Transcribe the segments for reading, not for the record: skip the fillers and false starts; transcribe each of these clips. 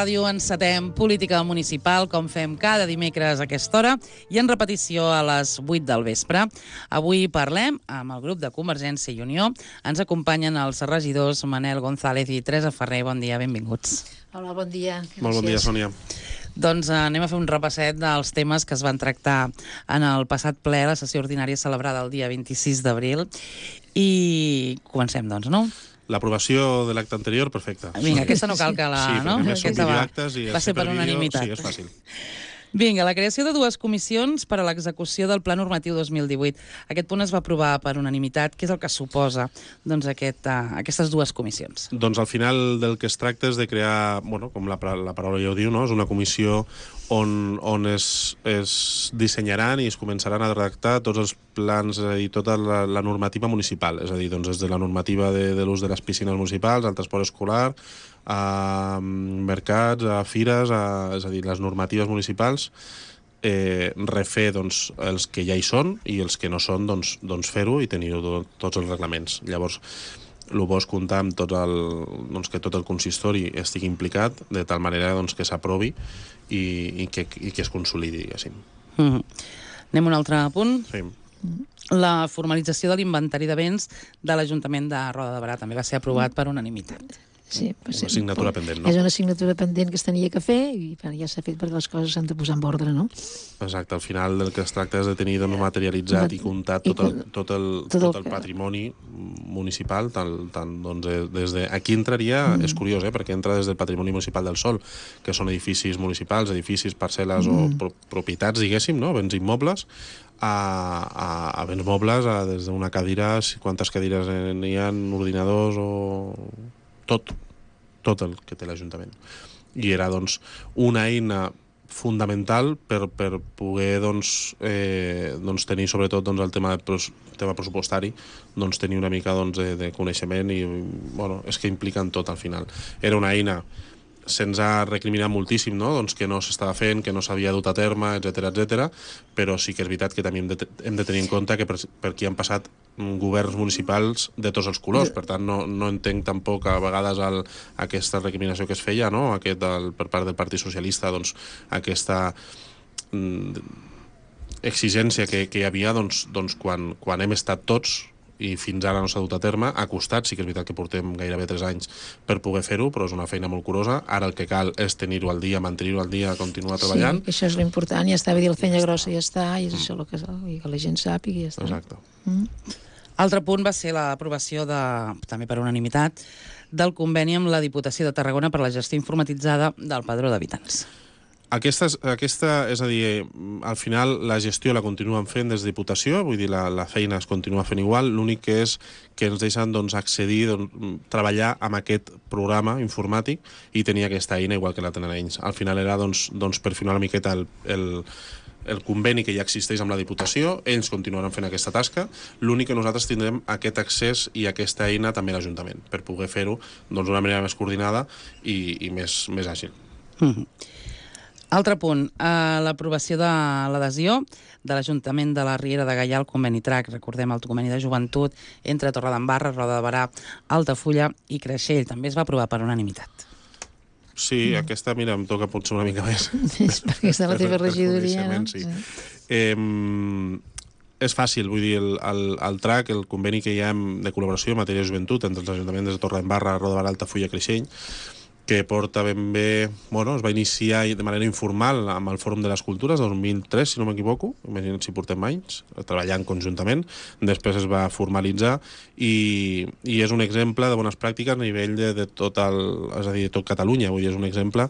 ràdio encetem Política Municipal, com fem cada dimecres a aquesta hora, i en repetició a les 8 del vespre. Avui parlem amb el grup de Convergència i Unió. Ens acompanyen els regidors Manel González i Teresa Ferrer. Bon dia, benvinguts. Hola, bon dia. Molt bon dia, Sònia. Doncs anem a fer un repasset dels temes que es van tractar en el passat ple, la sessió ordinària celebrada el dia 26 d'abril. I comencem, doncs, no? L'aprovació de l'acte anterior, perfecte. Vinga, aquesta no cal que la... Sí, no? perquè més són videoactes i... Va ser per unanimitat. Sí, és fàcil. Vinga, la creació de dues comissions per a l'execució del Pla Normatiu 2018. Aquest punt es va aprovar per unanimitat. Què és el que suposa doncs, aquestes dues comissions? Doncs al final del que es tracta és de crear, bueno, com la paraula ja ho diu, no? És una comissió on es dissenyaran i es començaran a redactar tots els plans i tota la normativa municipal. És a dir, doncs, des de la normativa de l'ús de les piscines municipals, al transport escolar, a mercats, a fires, és a dir, les normatives municipals, refer doncs, els que ja hi són i els que no són, doncs fer-ho i tenir-ho tots els reglaments. Llavors, el bo és comptar amb que tot el consistori estigui implicat de tal manera doncs, que s'aprovi i que es consolidi, diguéssim. Anem a un altre punt. Sí. La formalització de l'inventari de béns de l'Ajuntament de Roda de Berà també va ser aprovat per unanimitat. Sí, una assignatura pendent, no? És una assignatura pendent que es tenia que fer i ja s'ha fet perquè les coses s'han de posar en ordre, no? Exacte, al final del que es tracta és de tenir materialitzat i comptat tot el patrimoni municipal, doncs, des de... Aquí entraria, és curiós, perquè entra des del patrimoni municipal del sòl, que són edificis municipals, edificis, parcel·les o propietats, diguéssim, no? Béns immobles, a béns mobles, des d'una cadira, quantes cadires n'hi ha, ordinadors o... tot el que té l'Ajuntament. I era, doncs, una eina fundamental per poder tenir, sobretot, el tema pressupostari, tenir una mica de coneixement i, bueno, és que impliquen tot al final. Era una eina, se'ns ha recriminat moltíssim, no? Doncs que no s'estava fent, que no s'havia dut a terme, etc, però sí que és veritat que també hem de tenir en compte que per aquí han passat governs municipals de tots els colors, per tant no entenc tampoc a vegades aquesta recriminació que es feia, no? Per part del Partit Socialista, doncs aquesta exigència que hi havia quan hem estat tots i fins ara no s'ha dut a terme, ha costat, sí que és veritat que portem gairebé 3 anys per poder fer-ho, però és una feina molt curosa. Ara el que cal és tenir-ho al dia, mantenir-ho al dia, continuar treballant. Sí, això és l'important, ja està, dir el fenya grossa ja està, i és això que la gent sàpiga i ja està. Exacte. Altre punt va ser l'aprovació, també per unanimitat, del conveni amb la Diputació de Tarragona per la gestió informatitzada del Padró d'Habitants. Aquesta, és a dir, al final la gestió la continuen fent des de Diputació, vull dir, la feina es continua fent igual, l'únic que és que ens deixen accedir, treballar amb aquest programa informàtic i tenir aquesta eina igual que la tenen ells. Al final era per finar una miqueta el conveni que ja existeix amb la Diputació, ells continuaran fent aquesta tasca, l'únic que nosaltres tindrem aquest accés i aquesta eina també a l'Ajuntament, per poder fer-ho d'una manera més coordinada i més àgil. Altre punt, l'aprovació de l'adhesió de l'Ajuntament de la Riera de Gaià al conveni TRAC. Recordem el conveni de joventut entre Torredembarra, Roda de Berà, Altafulla i Creixell. També es va aprovar per unanimitat. Sí, aquesta, mira, em toca potser una mica més. És perquè és de la teva regidoria, no? Sí. És fàcil, vull dir, el TRAC, el conveni que hi ha de col·laboració en matèria de joventut entre els ajuntaments de Torredembarra, Roda de Berà, Altafulla i Creixell, que porta ben bé... Bueno, es va iniciar de manera informal amb el Fòrum de les Cultures del 2003, si no m'equivoco, imagina't si portem anys, treballant conjuntament, després es va formalitzar i és un exemple de bones pràctiques a nivell de tot Catalunya, vull dir, és un exemple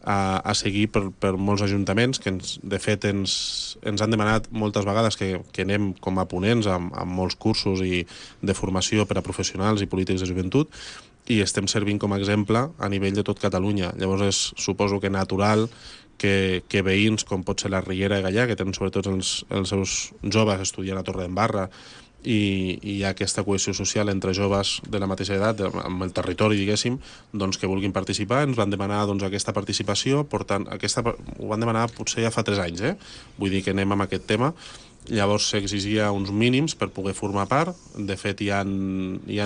a seguir per molts ajuntaments que de fet ens han demanat moltes vegades que anem com a ponents amb molts cursos i de formació per a professionals i polítics de joventut, i estem servint com a exemple a nivell de tot Catalunya. Llavors suposo que natural que veïns com pot ser la Riera de Gaià, que tenen sobretot els seus joves estudiant a Torredembarra, i hi ha aquesta cohesió social entre joves de la mateixa edat, amb el territori, diguéssim, doncs que vulguin participar. Ens van demanar aquesta participació, ho van demanar potser ja fa 3 anys, vull dir que anem amb aquest tema, Llavors s'exigia uns mínims per poder formar part. De fet, hi ha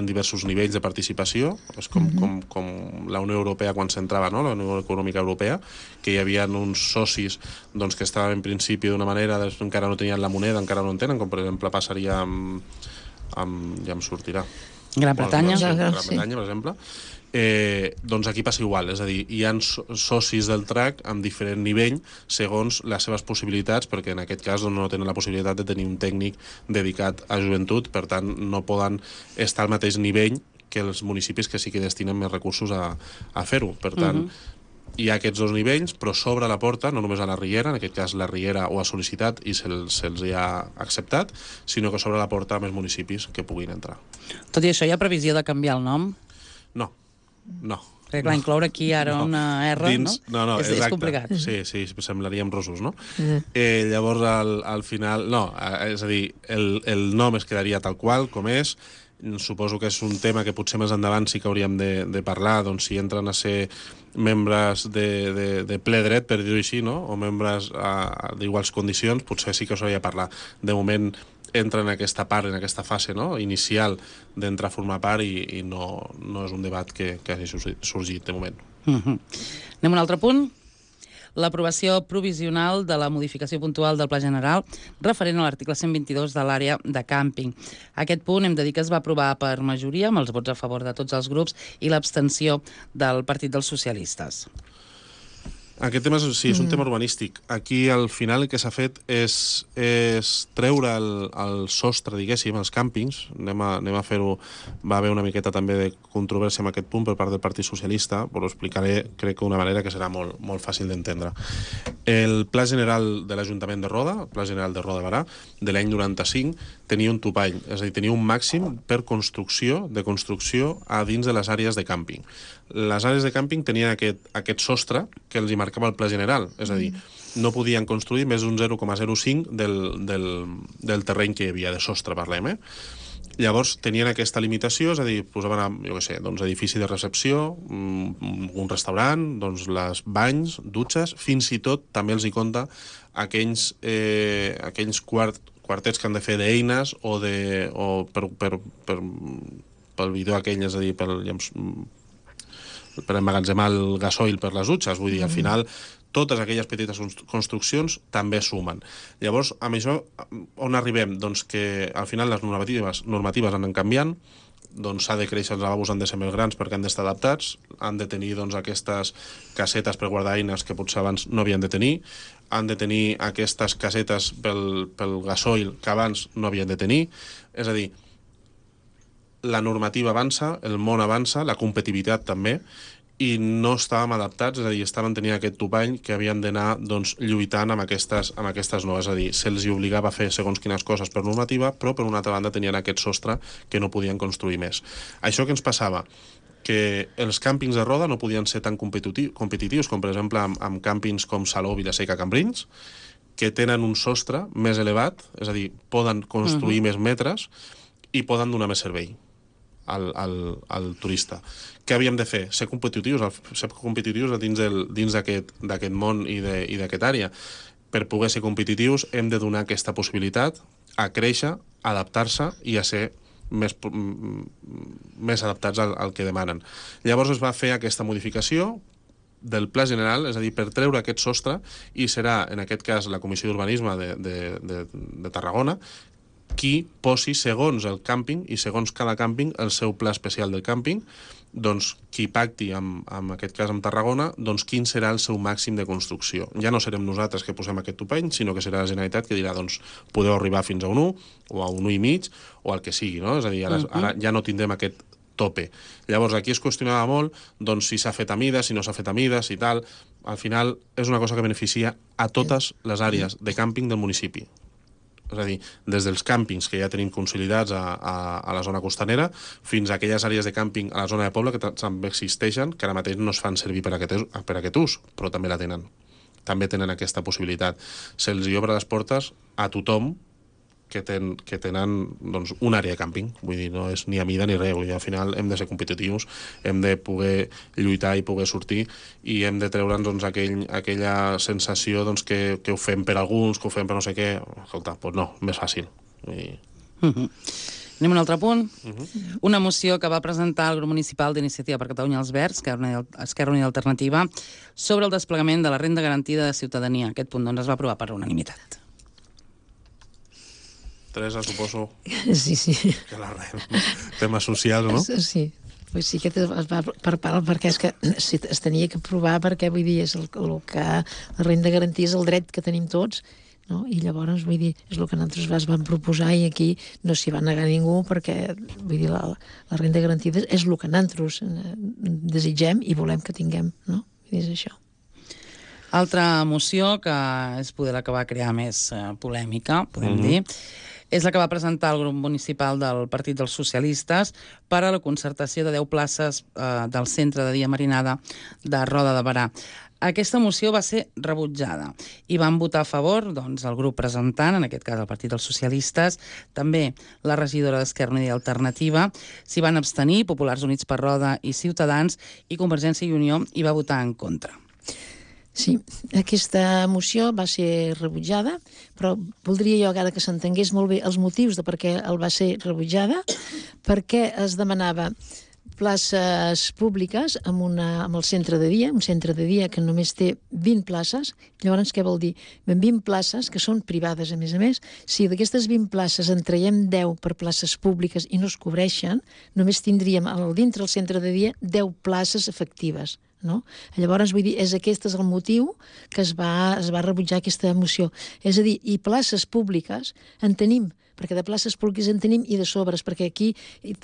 diversos nivells de participació. És com la Unió Europea quan s'entrava, no? La Unió Econòmica Europea, que hi havia uns socis doncs, que estaven en principi d'una manera, encara no tenien la moneda, encara no en tenen, com per exemple passaria ja em sortirà. Gran Bretanya. Gran Bretanya, per exemple. Doncs aquí passa igual, és a dir, hi ha socis del TRAC amb diferent nivell segons les seves possibilitats, perquè en aquest cas no tenen la possibilitat de tenir un tècnic dedicat a joventut, per tant no poden estar al mateix nivell que els municipis que sí que destinen més recursos a fer-ho. Per tant, hi ha aquests dos nivells, però s'obre la porta, no només a la Riera, en aquest cas la Riera ho ha sol·licitat i se'ls hi ha acceptat, sinó que s'obre la porta a més municipis que puguin entrar. Tot i això, hi ha previsió de canviar el nom? No. Perquè, clar, incloure aquí ara una R, dins, no? És complicat. Sí, semblaríem rossos, no? Llavors, al final... No, és a dir, el nom es quedaria tal qual, com és. Suposo que és un tema que potser més endavant sí que hauríem de parlar, doncs si entren a ser membres de ple dret, per dir-ho així, no? O membres d'iguals condicions, potser sí que s'hauria de parlar. De moment entra en aquesta part, en aquesta fase, no? Inicial d'entrar a formar part i no és un debat que hagi sorgit de moment. Anem a un altre punt. L'aprovació provisional de la modificació puntual del Pla General referent a l'article 122 de l'àrea de càmping. Aquest punt hem de dir que es va aprovar per majoria, amb els vots a favor de tots els grups i l'abstenció del Partit dels Socialistes. Aquest tema sí, és un tema urbanístic. Aquí, al final, el que s'ha fet és treure el sostre, diguéssim, als càmpings. Anem a fer-ho... Va haver una miqueta també de controvèrsia amb aquest punt per part del Partit Socialista, però ho explicaré, crec que d'una manera que serà molt fàcil d'entendre. El Pla General de l'Ajuntament de Roda, el Pla General de Roda de Barà, de l'any 95, tenia un topall, és a dir, tenia un màxim per construcció a dins de les àrees de càmping. Les àrees de càmping tenien aquest sostre que els hi marcava el Pla General, és a dir, no podien construir més d'un 0,05 del terreny que hi havia, de sostre, parlem, Llavors tenien aquesta limitació, és a dir, posaven, jo què sé, doncs, edifici de recepció, un restaurant, doncs, les banys, dutxes, fins i tot també els hi compta aquells quartets que han de fer d'eines o pel bidó aquell, és a dir, per emmagatzemar el gasoil per les dutxes. Vull dir, al final, totes aquelles petites construccions també sumen. Llavors, amb això, on arribem? Doncs que, al final, les normatives han anat canviant, doncs s'ha de créixer, els lavabos han de ser més grans perquè han d'estar adaptats, han de tenir doncs, aquestes casetes per guardar eines que potser abans no havien de tenir, han de tenir aquestes casetes pel gasoil que abans no havien de tenir. És a dir, la normativa avança, el món avança, la competitivitat també, i no estàvem adaptats, és a dir, tenint aquest topall que havien d'anar doncs, lluitant amb aquestes noves, és a dir, se'ls obligava a fer segons quines coses per normativa, però per una altra banda tenien aquest sostre que no podien construir més. Això que ens passava? Que els càmpings de Roda no podien ser tan competitius com, per exemple, amb càmpings com Salou, Vilaseca, Cambrils, que tenen un sostre més elevat, és a dir, poden construir més metres i poden donar més servei al turista. Què havíem de fer? Ser competitius dins d'aquest món i d'aquesta àrea. Per poder ser competitius hem de donar aquesta possibilitat a créixer, a adaptar-se i a ser més adaptats al que demanen. Llavors es va fer aquesta modificació del Pla General, és a dir, per treure aquest sostre, i serà, en aquest cas, la Comissió d'Urbanisme de Tarragona qui posi, segons el càmping i segons cada càmping, el seu pla especial del càmping, doncs qui pacti, en aquest cas amb Tarragona, doncs quin serà el seu màxim de construcció. Ja no serem nosaltres que posem aquest topall, sinó que serà la Generalitat que dirà, doncs, podeu arribar fins a un 1, o a un 1,5, o al que sigui, no? És a dir, ara ja no tindrem aquest tope. Llavors, aquí es qüestionava molt doncs, si s'ha fet a mides, si no s'ha fet a mides i tal. Al final, és una cosa que beneficia a totes les àrees de càmping del municipi. És a dir, des dels càmpings que ja tenim consolidats a la zona costanera fins a aquelles àrees de càmping a la zona de poble que també existeixen, que ara mateix no es fan servir per aquest ús, però també la tenen. També tenen aquesta possibilitat. Se'ls obre les portes a tothom que tenen doncs, una àrea de càmping. Vull dir, no és ni a mida ni res. Vull dir, al final hem de ser competitius, hem de poder lluitar i poder sortir i hem de treure'ns doncs, aquella sensació doncs, que ho fem per alguns, que ho fem per no sé què. Escolta, doncs no, més fàcil. Vull dir... Anem a un altre punt. Una moció que va presentar el grup municipal d'Iniciativa per Catalunya als Verds, Esquerra Unida Alternativa, sobre el desplegament de la renda garantida de ciutadania. Aquest punt doncs, es va aprovar per unanimitat. Teresa, suposo Sí. que la temes socials, no? Sí. Pues sí que es va per part, perquè és que es tenia que aprovar, perquè vull dir, és el que la renda garantida és el dret que tenim tots, no? I llavors, vull dir, és el que nosaltres vam proposar i aquí no s'hi va negar ningú perquè, vull dir, la renda garantida és el que nosaltres desitgem i volem que tinguem, no? I és això. Altra moció que és poder la que va crear més polèmica, podem dir, és la que va presentar el grup municipal del Partit dels Socialistes per a la concertació de 10 places del centre de dia marinada de Roda de Berà. Aquesta moció va ser rebutjada i van votar a favor doncs, el grup presentant, en aquest cas el Partit dels Socialistes, també la regidora d'Esquerra Unida i Alternativa, s'hi van abstenir, Populars Units per Roda i Ciutadans, i Convergència i Unió hi va votar en contra. Sí, aquesta moció va ser rebutjada, però voldria jo ara que s'entengués molt bé els motius de per què el va ser rebutjada, perquè es demanava places públiques amb el centre de dia, un centre de dia que només té 20 places. Llavors, què vol dir? 20 places que són privades, a més. Si d'aquestes 20 places en traiem 10 per places públiques i no es cobreixen, només tindríem dintre del centre de dia 10 places efectives. No? Llavors, vull dir, aquest és el motiu que es va rebutjar aquesta moció. És a dir, i places públiques en tenim, perquè de places públiques en tenim i de sobres, perquè aquí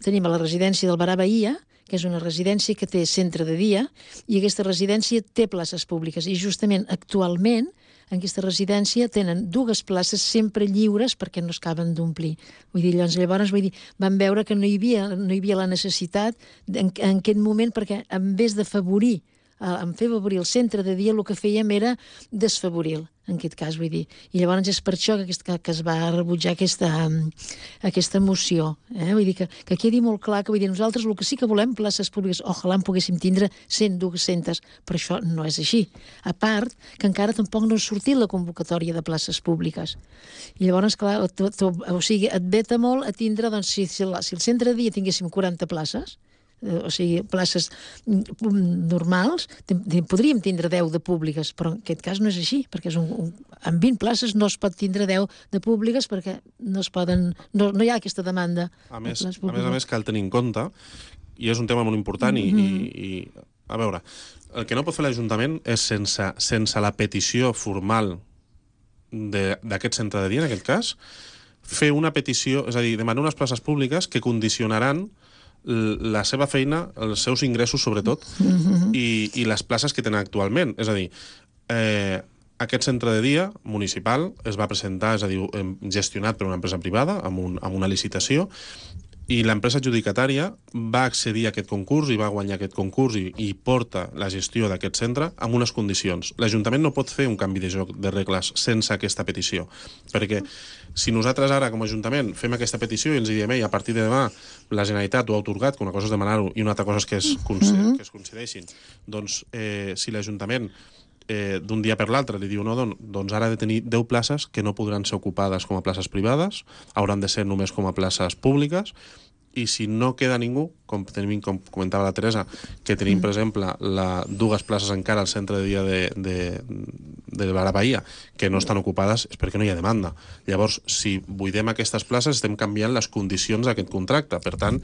tenim a la residència del Berà Bahia, que és una residència que té centre de dia, i aquesta residència té places públiques. I justament actualment en aquesta residència tenen 2 places sempre lliures perquè no es acaben d'omplir. Vull dir, llavors van veure que no hi havia la necessitat en aquest moment, perquè en vez d'afavorir en fer favorir el centre de dia, el que fèiem era desfavorir-lo, en aquest cas, vull dir. I llavors és per això que es va rebutjar aquesta moció. Vull dir que quedi molt clar que, vull dir, nosaltres el que sí que volem, places públiques, ojalà en poguéssim tindre 100, 200, però això no és així. A part, que encara tampoc no ha sortit la convocatòria de places públiques. I llavors, clar, o sigui, et veta molt a tindre, doncs, si el centre de dia tinguéssim 40 places, o sigui, places normals, podríem tindre 10 de públiques, però en aquest cas no és així, perquè amb 20 places no es pot tindre 10 de públiques perquè no hi ha aquesta demanda. A més, cal tenir en compte, i és un tema molt important, i a veure, el que no pot fer l'Ajuntament és sense la petició formal d'aquest centre de dia, en aquest cas, fer una petició, és a dir, demanar unes places públiques que condicionaran la seva feina, els seus ingressos sobretot, i les places que tenen actualment. És a dir, aquest centre de dia municipal es va presentar, és a dir, gestionat per una empresa privada amb una licitació, i l'empresa adjudicatària va accedir a aquest concurs i va guanyar aquest concurs i porta la gestió d'aquest centre amb unes condicions. L'Ajuntament no pot fer un canvi de joc de regles sense aquesta petició, perquè si nosaltres ara com a Ajuntament fem aquesta petició i ens diem a partir de demà la Generalitat ho ha atorgat, que una cosa és demanar-ho i una altra cosa és que es concedeixin, doncs si l'Ajuntament d'un dia per l'altre li diu no, doncs ara ha de tenir 10 places que no podran ser ocupades com a places privades, hauran de ser només com a places públiques, i si no queda ningú, com comentava la Teresa, que tenim, per exemple, 2 places encara al centre de dia de Berà Bahia que no estan ocupades, és perquè no hi ha demanda. Llavors, si buidem aquestes places, estem canviant les condicions d'aquest contracte. Per tant,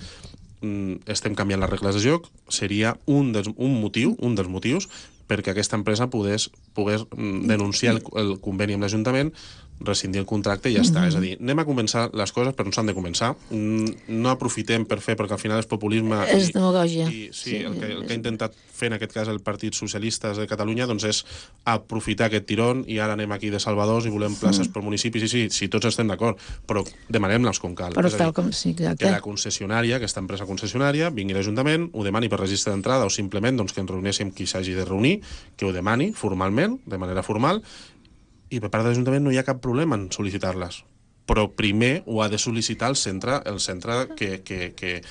estem canviant les regles de joc. Seria un dels motius perquè aquesta empresa pogués denunciar el conveni amb l'Ajuntament, rescindir el contracte i ja està. És a dir, anem a començar les coses, però no s'han de començar. No aprofitem per fer, perquè al final és populisme. És demagògia. Sí, el que ha intentat fer en aquest cas el Partit Socialista de Catalunya doncs és aprofitar aquest tirón i ara anem aquí de salvadors i volem places per municipis. Sí, tots estem d'acord, però demanem-les com cal. Però tal com sí, exacte. Que la concessionària, aquesta empresa concessionària, vingui a l'Ajuntament, ho demani per registre d'entrada o simplement que ens reuneixem qui s'hagi de reunir, que ho demani formalment, de manera formal, i per part de l'Ajuntament no hi ha cap problema en sol·licitar-les. però primer ho ha de sol·licitar el centre que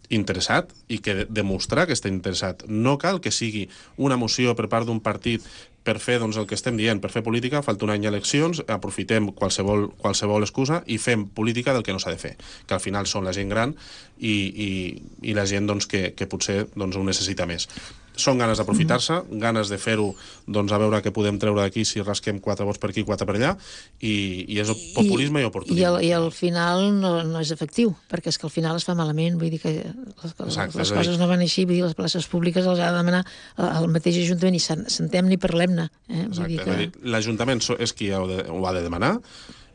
interessat i que demostrar que està interessat. No cal que sigui una moció per part d'un partit per fer el que estem dient, per fer política, falta un any d'eleccions, aprofitem qualsevol excusa i fem política del que no s'ha de fer, que al final són la gent gran i la gent que potser ho necessita més. Són ganes d'aprofitar-se, ganes de fer-ho, a veure què podem treure d'aquí si rasquem 4 vots per aquí, 4 per allà, i és populisme i oportunisme. I al final no és efectiu, perquè és que al final es fa malament, vull dir que les coses no van així, vull dir, les places públiques les ha de demanar el mateix Ajuntament i sentem-ne i parlem-ne. Exacte, l'Ajuntament és qui ho ha de demanar,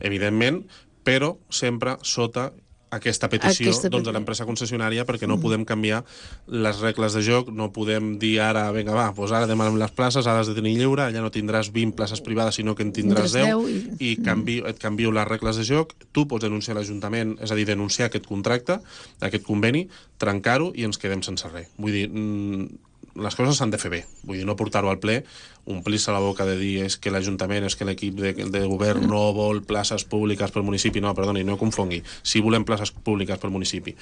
evidentment, però sempre sota aquesta petició de l'empresa concessionària, perquè no podem canviar les regles de joc, no podem dir ara, vinga va, doncs ara demanem les places, ara has de tenir lliure, allà no tindràs 20 places privades, sinó que en tindràs 10 i et canvio les regles de joc, tu pots denunciar l'Ajuntament, és a dir, denunciar aquest contracte, aquest conveni, trencar-ho i ens quedem sense res. Vull dir, les coses s'han de fer bé, vull dir, no portar-ho al ple, omplir-se la boca de dir és que l'Ajuntament, és que l'equip de govern no vol places públiques pel municipi. No, perdoni, no confongui. Sí volem places públiques pel municipi,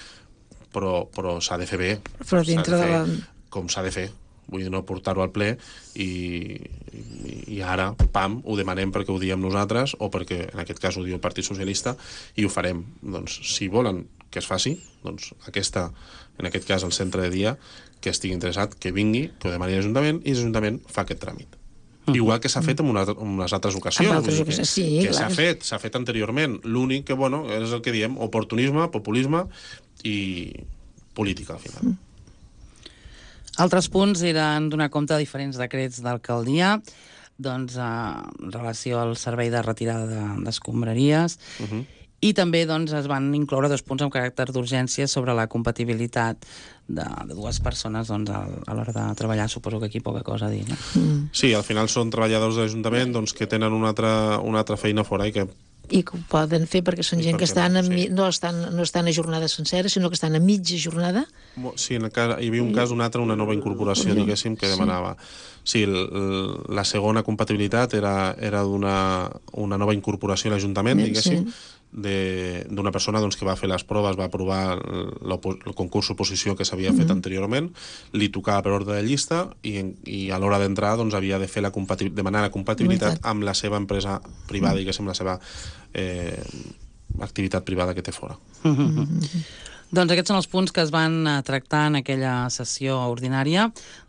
però s'ha de fer bé. Però dintre de la... Com s'ha de fer. Vull dir, no portar-ho al ple i ara, pam, ho demanem perquè ho diem nosaltres o perquè, en aquest cas, ho diu el Partit Socialista i ho farem. Doncs, si volen que es faci, doncs en aquest cas, el centre de dia, que estigui interessat, que vingui, que ho demani l'Ajuntament i l'Ajuntament fa aquest tràmit. Igual que s'ha fet en unes altres ocasions. Que s'ha fet anteriorment. L'únic que, és el que diem, oportunisme, populisme i política, al final. Altres punts eren donar compte de diferents decrets d'alcaldia, en relació al servei de retirada d'escombraries, i també es van incloure 2 punts amb caràcter d'urgència sobre la compatibilitat de 2 persones a l'hora de treballar. Suposo que aquí poca cosa a dir, no? Sí, al final són treballadors de l'Ajuntament que tenen una altra feina fora i que ho poden fer perquè són gent que no estan a jornada sencera, sinó que estan a mitja jornada. Sí, hi havia un cas, una nova incorporació, diguéssim, que demanava. Sí, la segona compatibilitat era una nova incorporació a l'Ajuntament, diguéssim, d'una persona que va fer les proves, va aprovar el concurs oposició que s'havia fet anteriorment, li tocava per ordre de llista i a l'hora d'entrar havia de fer demanar la compatibilitat amb la seva empresa privada, diguéssim, la seva activitat privada que té fora. Doncs aquests són els punts que es van tractar en aquella sessió ordinària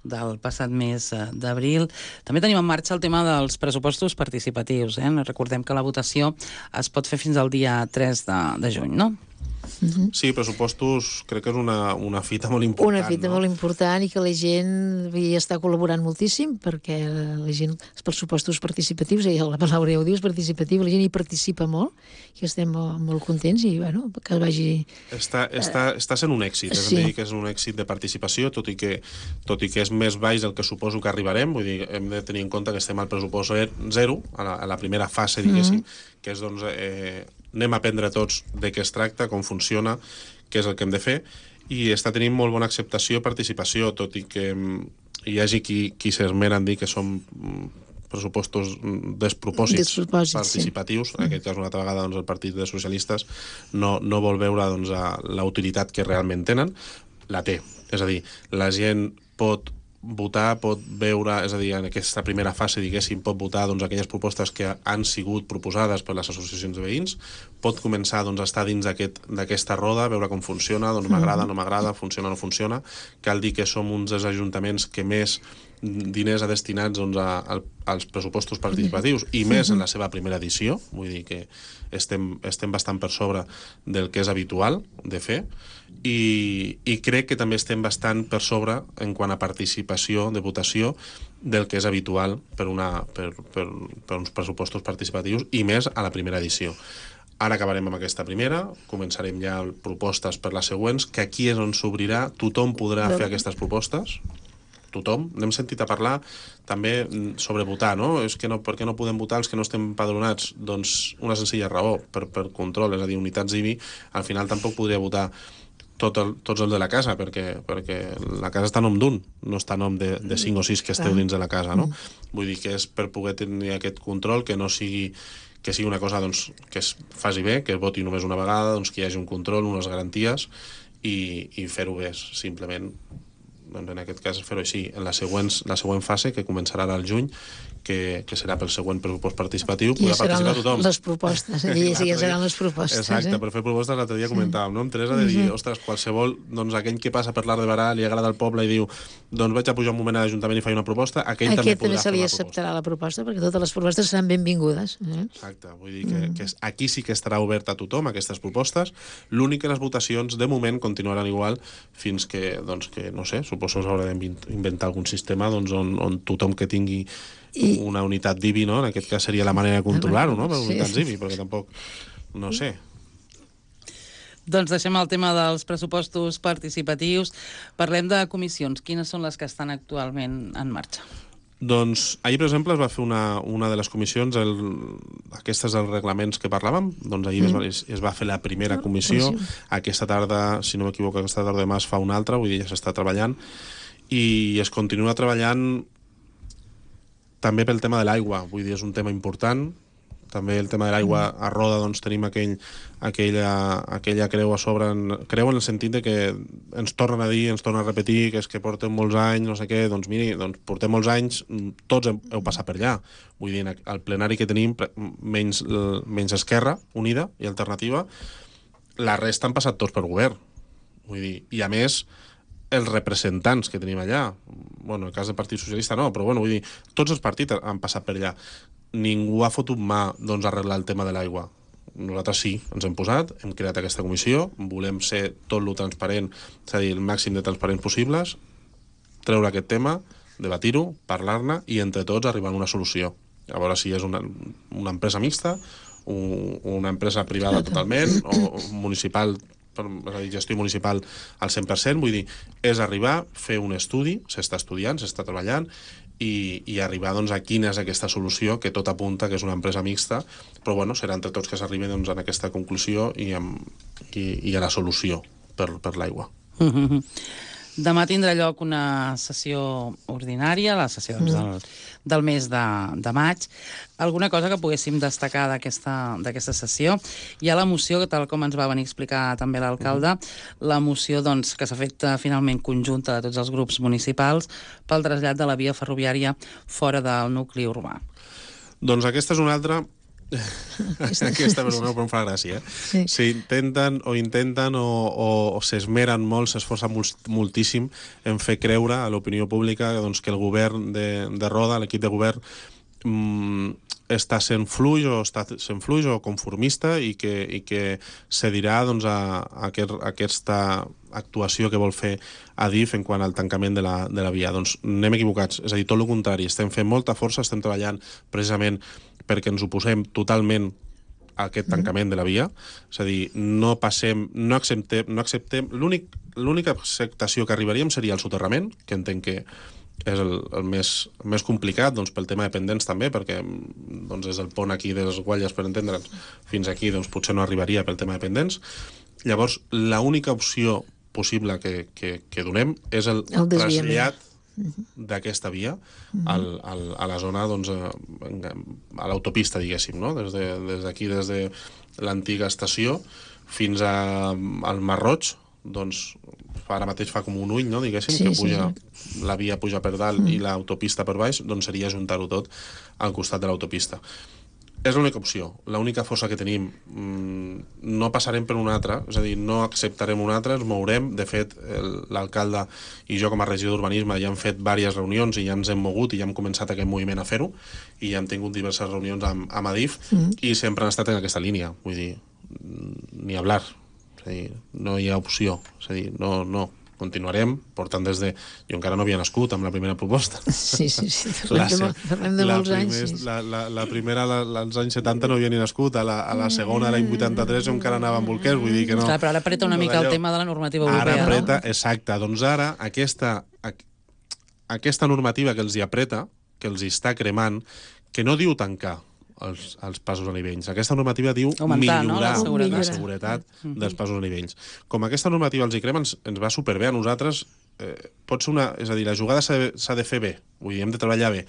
del passat mes d'abril. També tenim en marxa el tema dels pressupostos participatius. Recordem que la votació es pot fer fins al dia 3 de juny, no? Sí, pressupostos crec que és una fita molt important. Una fita molt important i que la gent hi està col·laborant moltíssim perquè la gent, els pressupostos participatius, i la paraula ja ho dius, participatiu, la gent hi participa molt i estem molt contents i que vagi... Està sent un èxit, és a dir, que és un èxit de participació, tot i que és més baix del que suposo que arribarem, vull dir, hem de tenir en compte que estem al pressupost 0, a la primera fase, diguéssim, que és anem a aprendre tots de què es tracta, com funciona, què és el que hem de fer, i està tenint molt bona acceptació i participació, tot i que hi hagi qui s'esmera en dir que són pressupostos despropòsits participatius. En aquest cas, una altra vegada, el Partit dels Socialistes no vol veure la utilitat que realment tenen. La té. És a dir, la gent pot votar, pot veure, és a dir, en aquesta primera fase, diguéssim, pot votar aquelles propostes que han sigut proposades per les associacions de veïns, pot començar a estar dins d'aquesta roda, veure com funciona, m'agrada, no m'agrada, funciona, no funciona. Cal dir que som uns dels ajuntaments que més diners ha destinats als pressupostos participatius i més en la seva primera edició, vull dir que estem bastant per sobre del que és habitual de fer i crec que també estem bastant per sobre en quant a participació de votació del que és habitual per uns pressupostos participatius i més a la primera edició. Ara acabarem amb aquesta primera, començarem ja propostes per les següents, que aquí és on s'obrirà, tothom podrà fer aquestes propostes, tothom. N'hem sentit a parlar també sobre votar, no? És que per què no podem votar els que no estem empadronats? Doncs una senzilla raó, per control, és a dir, unitats IBI, al final tampoc podria votar tots els de la casa, perquè la casa està a nom d'un, no està a nom de 5 o 6 que esteu dins de la casa, no? Vull dir que és per poder tenir aquest control, que no sigui que sigui una cosa doncs, que es faci bé, que es voti només una vegada, doncs, que hi hagi un control, unes garanties i fer-ho bé, simplement. Doncs en aquest cas fer-ho així. En la següent fase, que començarà ara al juny, que serà pel següent pressupost participatiu, podrà participar tothom. Les propostes, ja seran les propostes. Exacte, per fer propostes l'altre dia comentàvem, no? Amb Teresa, de dir, ostres, qualsevol, doncs aquell que passa per l'Arc de Barà, li agrada el poble i diu, doncs vaig a pujar un moment a l'Ajuntament i faig una proposta, aquell també podrà fer se li una proposta. acceptarà la proposta, perquè totes les propostes seran benvingudes. Exacte, vull dir que aquí sí que estarà obert a tothom, aquestes propostes. L'únic que les votacions, de moment, continuaran igual fins que, doncs, que no sé, suposo que s'haurà d'inventar algun sistema doncs, on tothom que tingui una unitat d'IBI, no? En aquest cas seria la manera de controlar-ho, no? Per unitats d'IBI, perquè tampoc, no sé. Doncs deixem el tema dels pressupostos participatius. Parlem de comissions. Quines són les que estan actualment en marxa? Doncs ahir, per exemple, es va fer una de les comissions, aquestes dels reglaments que parlàvem, doncs ahir es va fer la primera comissió, aquesta tarda, si no m'equivoco, aquesta tarda demà es fa una altra, vull dir, ja s'està treballant, i es continua treballant també pel tema de l'aigua, vull dir, és un tema important. També el tema de l'aigua a Roda, doncs tenim aquella creu a sobre, creu en el sentit de que ens tornen a dir, ens tornen a repetir, que és que porten molts anys, no sé què, doncs miri, doncs portem molts anys, tots heu passat per allà. Vull dir, el plenari que tenim, menys Esquerra Unida i Alternativa, la resta han passat tots per govern. Vull dir, i a més, els representants que tenim allà, bueno, en el cas del Partit Socialista no, però bueno, vull dir, tots els partits han passat per allà. Ningú ha fotut mà doncs, a arreglar el tema de l'aigua. Nosaltres sí, ens hem posat, hem creat aquesta comissió, volem ser tot lo transparent, és a dir, el màxim de transparents possibles, treure aquest tema, debatir-ho, parlar-ne i entre tots arribar a una solució. A veure si és una empresa mixta, una empresa privada totalment, o municipal, és a dir, gestió municipal al 100%, vull dir, és arribar, fer un estudi, s'està estudiant, s'està treballant, i arribar doncs, a quina és aquesta solució, que tot apunta que és una empresa mixta, però bueno, serà entre tots que s'arribi doncs, en aquesta conclusió i a la solució per l'aigua. Demà tindrà lloc una sessió ordinària, la sessió del mes de maig. Alguna cosa que poguéssim destacar d'aquesta sessió? Hi ha la moció, tal com ens va venir a explicar també l'alcalde, la moció doncs, que s'ha fet finalment conjunta de tots els grups municipals pel trasllat de la via ferroviària fora del nucli urbà. Doncs aquesta és una altra... Aquesta però em fa gràcia, eh? S'intenten o s'esmeren molt, s'esforcen moltíssim en fer creure a l'opinió pública doncs, que el govern de Roda, l'equip de govern, està sent fluix o conformista i que cedirà doncs, a aquesta actuació que vol fer Adif en quant al tancament de la via. Doncs anem equivocats, és a dir, tot el contrari, estem fent molta força, estem treballant precisament perquè ens oposem totalment a aquest tancament de la via, és a dir, no acceptem, l'única acceptació que arribaríem seria el soterrament, que entenc que és el més complicat doncs, pel tema de pendents també, perquè doncs, des del pont aquí de les Guatlles, per entendre'ns, fins aquí doncs, potser no arribaria pel tema de pendents. Llavors, l'única opció possible que donem és el trasllat d'aquesta via a la zona, doncs, a l'autopista, diguéssim, no? Des d'aquí, des de l'antiga estació fins al Mar Roig, doncs ara mateix fa com un ull, no? Diguéssim, que puja, la via puja per dalt i l'autopista per baix, doncs seria ajuntar-ho tot al costat de l'autopista. És l'única opció, l'única força que tenim. No passarem per una altra, és a dir, no acceptarem una altra, ens mourem. De fet, l'alcalde i jo com a regidor d'Urbanisme ja hem fet diverses reunions i ja ens hem mogut i ja hem començat aquest moviment a fer-ho i ja hem tingut diverses reunions amb Adif i sempre han estat en aquesta línia, vull dir, ni hablar, és a dir, no hi ha opció, és a dir, no. Continuarem portant des de... Jo encara no havia nascut amb la primera proposta. Sí. Parlem de molts anys. La primera, als anys 70, no havia ni nascut. A la segona, l'any 83, jo encara anava amb bolquers, vull dir que no... Clar, però ara apreta una mica el tema de la normativa europea, ara apreta, no? Exacte. Doncs ara, aquesta normativa que els hi apreta, que els hi està cremant, que no diu tancar els passos a nivells. Aquesta normativa diu millorar la seguretat dels passos a nivells. Com aquesta normativa els hi crema, ens va superbé a nosaltres. Pot ser és a dir, la jugada s'ha de fer bé, vull dir, hem de treballar bé,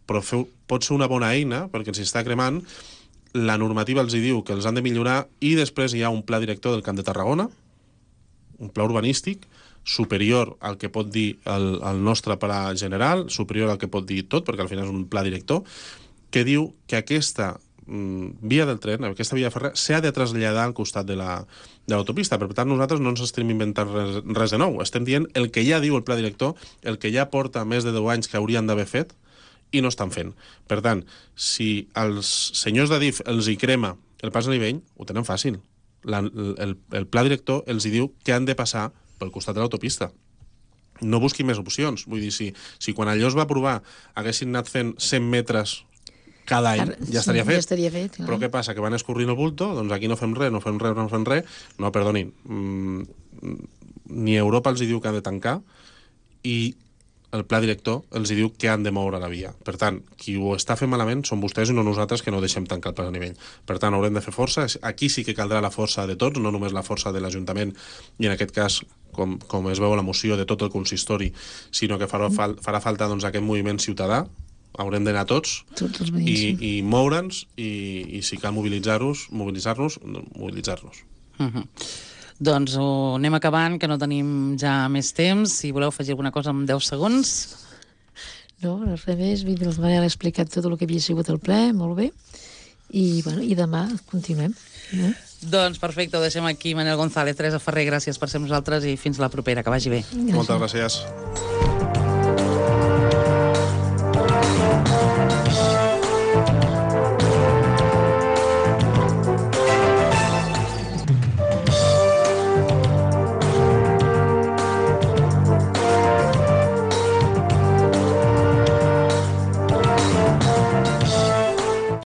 però pot ser una bona eina, perquè ens hi està cremant la normativa els hi diu que els han de millorar i després hi ha un pla director del Camp de Tarragona, un pla urbanístic, superior al que pot dir el nostre pla general, superior al que pot dir tot, perquè al final és un pla director, que diu que aquesta via del tren, aquesta via ferrera, s'ha de traslladar al costat de l'autopista. Per tant, nosaltres no ens estem inventant res de nou. Estem dient el que ja diu el pla director, el que ja porta més de 10 anys que haurien d'haver fet i no estan fent. Per tant, si als senyors d'Adif els hi crema el pas a nivell, ho tenen fàcil. El pla director els hi diu que han de passar pel costat de l'autopista. No busqui més opcions. Vull dir, si quan allò es va aprovar haguessin anat fent 100 metres cada any, ja estaria fet. Ja estaria fet, clar. Però què passa? Que van escorrint el bulto, doncs aquí no fem res. No, perdonin. Ni Europa els hi diu que han de tancar i el pla director els hi diu que han de moure la via. Per tant, qui ho està fent malament són vostès i no nosaltres, que no deixem tancar el pas a nivell. Per tant, haurem de fer força. Aquí sí que caldrà la força de tots, no només la força de l'Ajuntament, i en aquest cas, com es veu a la moció, de tot el consistori, sinó que farà falta doncs, aquest moviment ciutadà. Haurem d'anar tots i moure'ns i si cal mobilitzar-nos. Doncs ho anem acabant, que no tenim ja més temps. Si voleu afegir alguna cosa en 10 segons. No, res més. El Manel ha explicat tot el que havia sigut el ple, molt bé. I demà continuem. Doncs perfecte, ho deixem aquí. Manel González, Teresa Ferrer, gràcies per ser amb nosaltres i fins la propera, que vagi bé. Moltes gràcies.